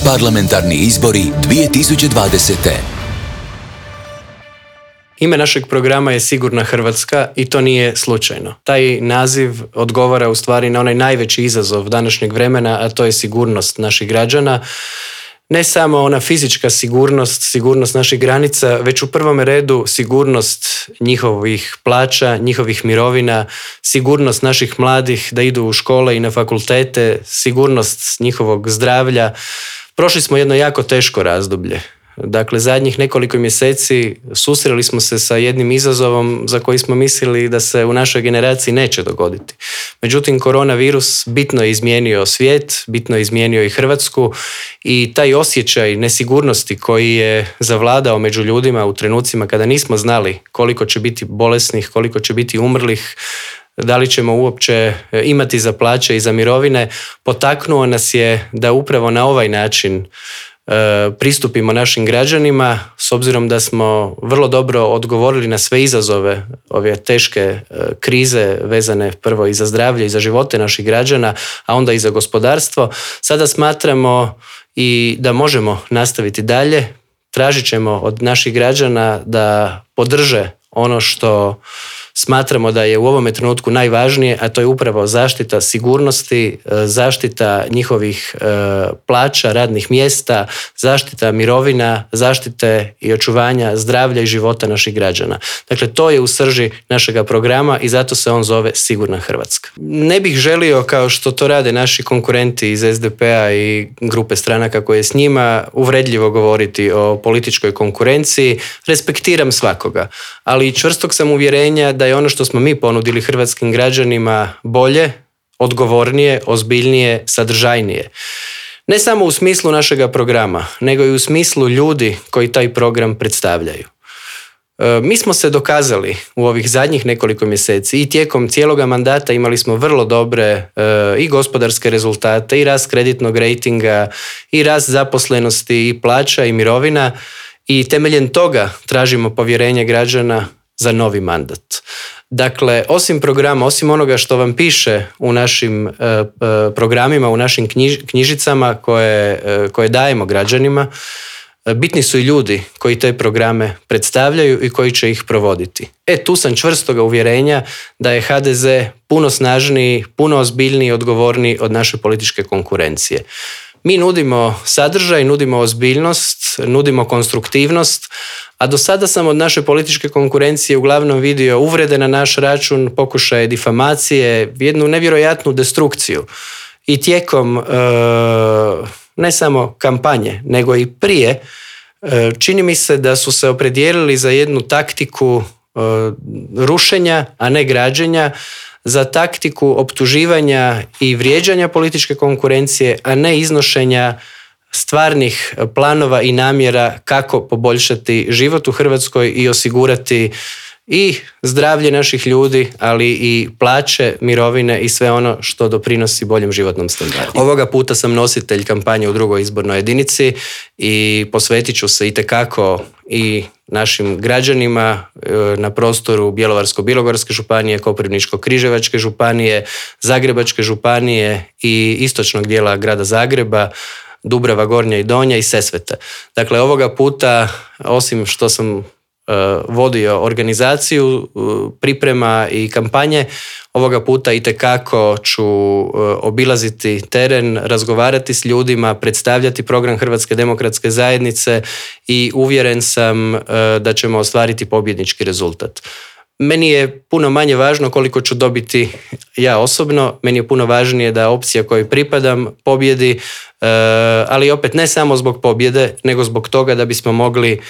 Parlamentarni izbori 2020. Ime našeg programa je Sigurna Hrvatska i to nije slučajno. Taj naziv odgovara u stvari na onaj najveći izazov današnjeg vremena, a to je sigurnost naših građana. Ne samo ona fizička sigurnost naših granica, već u prvome redu sigurnost njihovih plaća, njihovih mirovina, sigurnost naših mladih da idu u škole i na fakultete, sigurnost njihovog zdravlja. Prošli smo jedno jako teško razdoblje. Dakle, zadnjih nekoliko mjeseci susreli smo se sa jednim izazovom za koji smo mislili da se u našoj generaciji neće dogoditi. Međutim, koronavirus bitno je izmijenio svijet, bitno je izmijenio i Hrvatsku i taj osjećaj nesigurnosti koji je zavladao među ljudima u trenucima kada nismo znali koliko će biti bolesnih, koliko će biti umrlih, da li ćemo uopće imati za plaće i za mirovine, potaknuo nas je da upravo na ovaj način pristupimo našim građanima, s obzirom da smo vrlo dobro odgovorili na sve izazove ove teške krize vezane prvo i za zdravlje i za živote naših građana, a onda i za gospodarstvo. Sada smatramo i da možemo nastaviti dalje. Tražit ćemo od naših građana da podrže ono što smatramo da je u ovome trenutku najvažnije, a to je upravo zaštita sigurnosti, zaštita njihovih plaća, radnih mjesta, zaštita mirovina, zaštite i očuvanja zdravlja i života naših građana. Dakle, to je u srži našega programa i zato se on zove Sigurna Hrvatska. Ne bih želio, kao što to rade naši konkurenti iz SDP-a i grupe stranaka koje s njima, uvredljivo govoriti o političkoj konkurenciji. Respektiram svakoga, ali čvrstog sam uvjerenja da je ono što smo mi ponudili hrvatskim građanima bolje, odgovornije, ozbiljnije, sadržajnije. Ne samo u smislu našega programa, nego i u smislu ljudi koji taj program predstavljaju. Mi smo se dokazali u ovih zadnjih nekoliko mjeseci i tijekom cijeloga mandata imali smo vrlo dobre i gospodarske rezultate, i rast kreditnog rejtinga, i rast zaposlenosti, i plaća, i mirovina, i temeljem toga tražimo povjerenje građana za novi mandat. Dakle, osim programa, osim onoga što vam piše u našim programima, u našim knjižicama koje dajemo građanima, bitni su i ljudi koji te programe predstavljaju i koji će ih provoditi. Tu sam čvrstoga uvjerenja da je HDZ puno snažniji, puno ozbiljniji i odgovorniji od naše političke konkurencije. Mi nudimo sadržaj, nudimo ozbiljnost, nudimo konstruktivnost, a do sada sam od naše političke konkurencije uglavnom vidio uvrede na naš račun, pokušaje difamacije, jednu nevjerojatnu destrukciju. I tijekom ne samo kampanje, nego i prije, čini mi se da su se opredijelili za jednu taktiku rušenja, a ne građenja, za taktiku optuživanja i vrijeđanja političke konkurencije, a ne iznošenja stvarnih planova i namjera kako poboljšati život u Hrvatskoj i osigurati i zdravlje naših ljudi, ali i plaće, mirovine i sve ono što doprinosi boljem životnom standardu. Ovoga puta sam nositelj kampanje u 2. izbornoj jedinici i posvetit ću se itekako i našim građanima na prostoru Bjelovarsko-bilogorske županije, Koprivničko-križevačke županije, Zagrebačke županije i istočnog dijela grada Zagreba, Dubrava Gornja i Donja i Sesvete. Dakle, ovoga puta, osim što sam vodio organizaciju, priprema i kampanje, ovoga puta itekako ću obilaziti teren, razgovarati s ljudima, predstavljati program Hrvatske demokratske zajednice i uvjeren sam da ćemo ostvariti pobjednički rezultat. Meni je puno manje važno koliko ću dobiti ja osobno, meni je puno važnije da opcija kojoj pripadam pobjedi, ali opet ne samo zbog pobjede, nego zbog toga da bismo mogli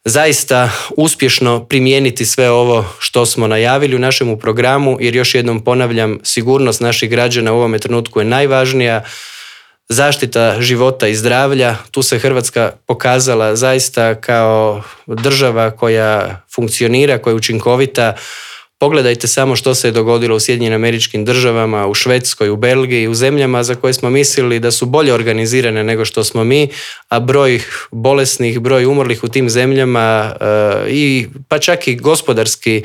zaista uspješno primijeniti sve ovo što smo najavili u našemu programu, jer još jednom ponavljam, sigurnost naših građana u ovome trenutku je najvažnija, zaštita života i zdravlja. Tu se Hrvatska pokazala zaista kao država koja funkcionira, koja je učinkovita. Pogledajte samo što se je dogodilo u SAD-u, u Švedskoj, u Belgiji, u zemljama za koje smo mislili da su bolje organizirane nego što smo mi, a broj bolesnih, broj umrlih u tim zemljama i pa čak i gospodarski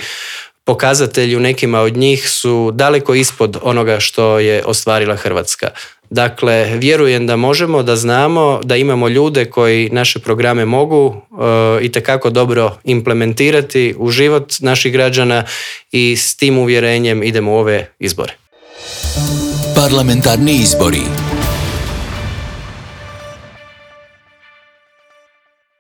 pokazatelji u nekima od njih su daleko ispod onoga što je ostvarila Hrvatska. Dakle, vjerujem da možemo, da znamo, da imamo ljude koji naše programe mogu itekako dobro implementirati u život naših građana i s tim uvjerenjem idemo u ove izbore. Parlamentarni izbori.